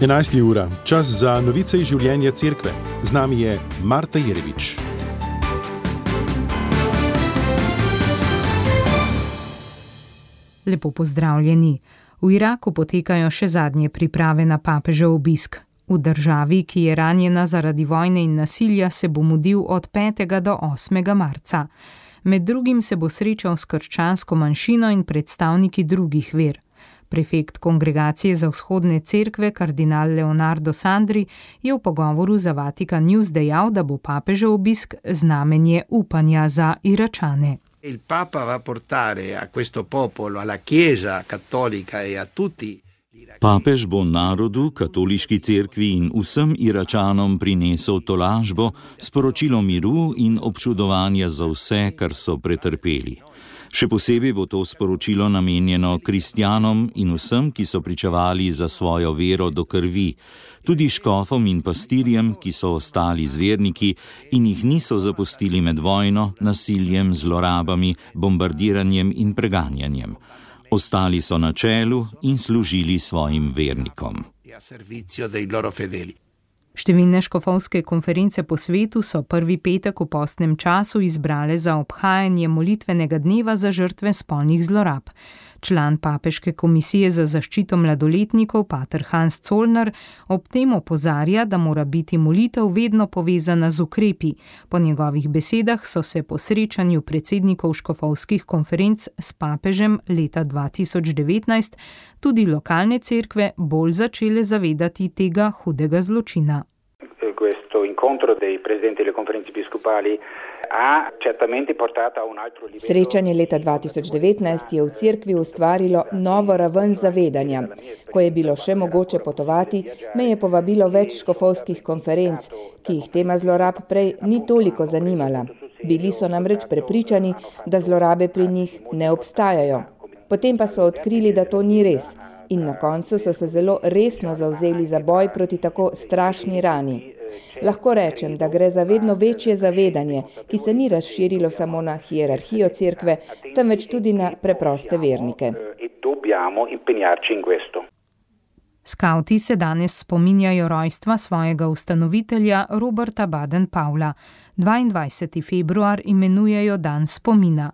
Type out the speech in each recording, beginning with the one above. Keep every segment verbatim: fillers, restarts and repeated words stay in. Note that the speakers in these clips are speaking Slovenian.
enajsta ura, čas za novice iz življenja cerkve. Z nami je Marta Jerevič. Lepo pozdravljeni. V Iraku potekajo še zadnje priprave na papežev obisk. V državi, ki je ranjena zaradi vojne in nasilja, se bo mudil od petega do osmega marca. Med drugim se bo srečal s krščansko manjšino in predstavniki drugih ver. Prefekt Kongregacije za vzhodne cerkve, kardinal Leonardo Sandri, je v pogovoru za Vatikan News dejal, da bo papežev obisk znamenje upanja za Iračane. Il Papa va portare a questo popolo, alla Chiesa cattolica e a tutti. Papež bo narodu, katoliški cerkvi in vsem Iračanom prinesel tolažbo, sporočilo miru in občudovanja za vse, kar so pretrpeli. Še posebej bo to sporočilo namenjeno kristjanom in vsem, ki so pričevali za svojo vero do krvi, tudi škofom in pastirjem, ki so ostali zverniki in jih niso zapustili med vojno, nasiljem, zlorabami, bombardiranjem in preganjanjem. Ostali so na čelu in služili svojim vernikom. Številne škofovske konference po svetu so prvi petek v postnem času izbrale za obhajanje molitvenega dneva za žrtve spolnih zlorab. Član papeške komisije za zaščito mladoletnikov, pater Hans Zollner, ob tem opozarja, da mora biti molitev vedno povezana z ukrepi. Po njegovih besedah so se po srečanju predsednikov škofovskih konferenc s papežem leta dva tisoč devetnajst tudi lokalne cerkve bolj začele zavedati tega hudega zločina. Questo incontro dei presidenti delle conferenze episcopali ha certamente portato a un altro livello. Srečanje leta dva tisoč devetnajst je v cerkvi ustvarilo novo raven zavedanja. Ko je bilo še mogoče potovati, me je povabilo več škofovskih konferenc, ki jih tema zlorab prej ni toliko zanimala. Bili so namreč prepričani, da zlorabe pri njih ne obstajajo. Potem pa so odkrili, da to ni res. In na koncu so se zelo resno zavzeli za boj proti tako strašni rani. Lahko rečem, da gre za vedno večje zavedanje, ki se ni razširilo samo na hierarhijo cerkve, temveč tudi na preproste vernike. Skavti se danes spominjajo rojstva svojega ustanovitelja Roberta Baden-Powella. dvaindvajseti februar imenujejo dan spomina.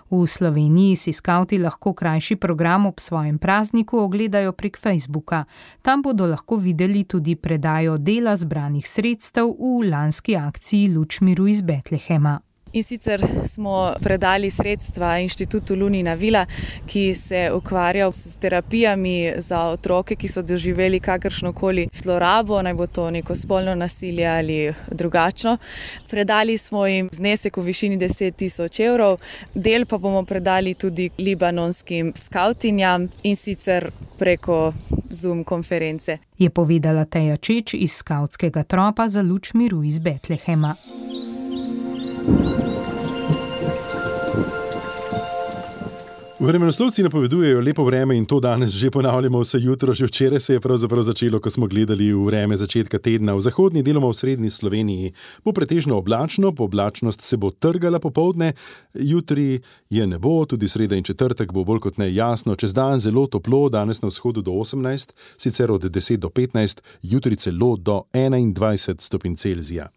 V Sloveniji si skavti lahko krajši program ob svojem prazniku ogledajo prek Facebooka. Tam bodo lahko videli tudi predajo dela zbranih sredstev v lanski akciji Luč miru iz Betlehema. In sicer smo predali sredstva Inštitutu Lunina Vila, ki se ukvarja s terapijami za otroke, ki so doživeli kakršnokoli zlorabo, naj bo to neko spolno nasilje ali drugačno. Predali smo jim znesek v višini deset tisoč evrov, del pa bomo predali tudi libanonskim skavtinjam in sicer preko Zoom konference. Je povedala Teja Čeč iz skavtskega tropa za Luč miru iz Betlehema. Vremenoslovci napovedujejo lepo vreme in to danes že ponavljamo vse jutro. Že včeraj se je pravzaprav začelo, ko smo gledali v vreme začetka tedna. V zahodni, deloma v srednji Sloveniji bo pretežno oblačno, po oblačnost se bo trgala popoldne, jutri je nebo, tudi sreda in četrtek bo bolj kot ne jasno, čez dan zelo toplo, danes na vzhodu do osemnajst, sicer od deset do petnajst, jutri celo do enaindvajset stopinj Celzija.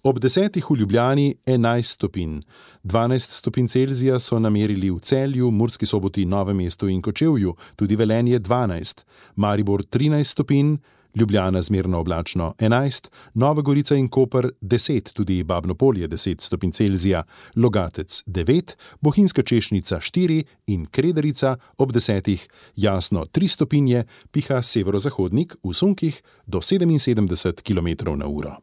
Ob desetih v Ljubljani enajst stopinj. dvanajst stopinj Celzija so namerili v Celju, Murski Soboti, Novem mestu in Kočevju, tudi Velenje dvanajst, Maribor trinajst stopinj, Ljubljana zmerno oblačno enajst, Nova Gorica in Koper deset, tudi Babno Polje deset stopinj Celzija, Logatec devet, Bohinjska Češnica štiri in Kredarica ob desetih jasno tri stopinje, piha severozahodnik v sunkih do sedeminsedemdeset kilometrov na uro.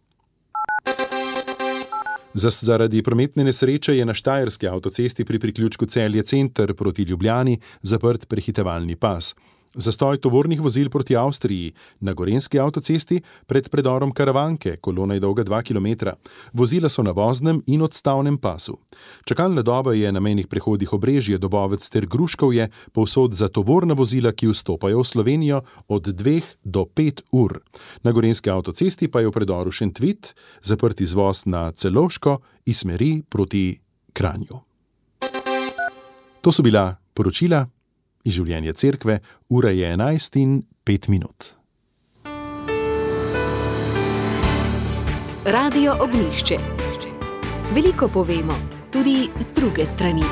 Zaradi prometne nesreče je na štajerski avtocesti pri priključku Celje center proti Ljubljani zaprt prehitevalni pas. Zastoj tovornih vozil proti Avstriji, na gorenjski avtocesti pred predorom Karavanke, kolona je dolga dva kilometra. Vozila so na voznem in odstavnem pasu. Čakalna doba je na mejnih prehodih Obrežje, Dobovec ter Gruškovje povsod za tovorna vozila, ki vstopajo v Slovenijo od dveh do pet ur. Na gorenjski avtocesti pa je v predoru Šentvit zaprt izvoz na Celovško iz smeri proti Kranju. To so bila poročila iz življenja cerkve, ura je enajst in pet minut. Radio Ognjišče. Veliko povemo, tudi z druge strani.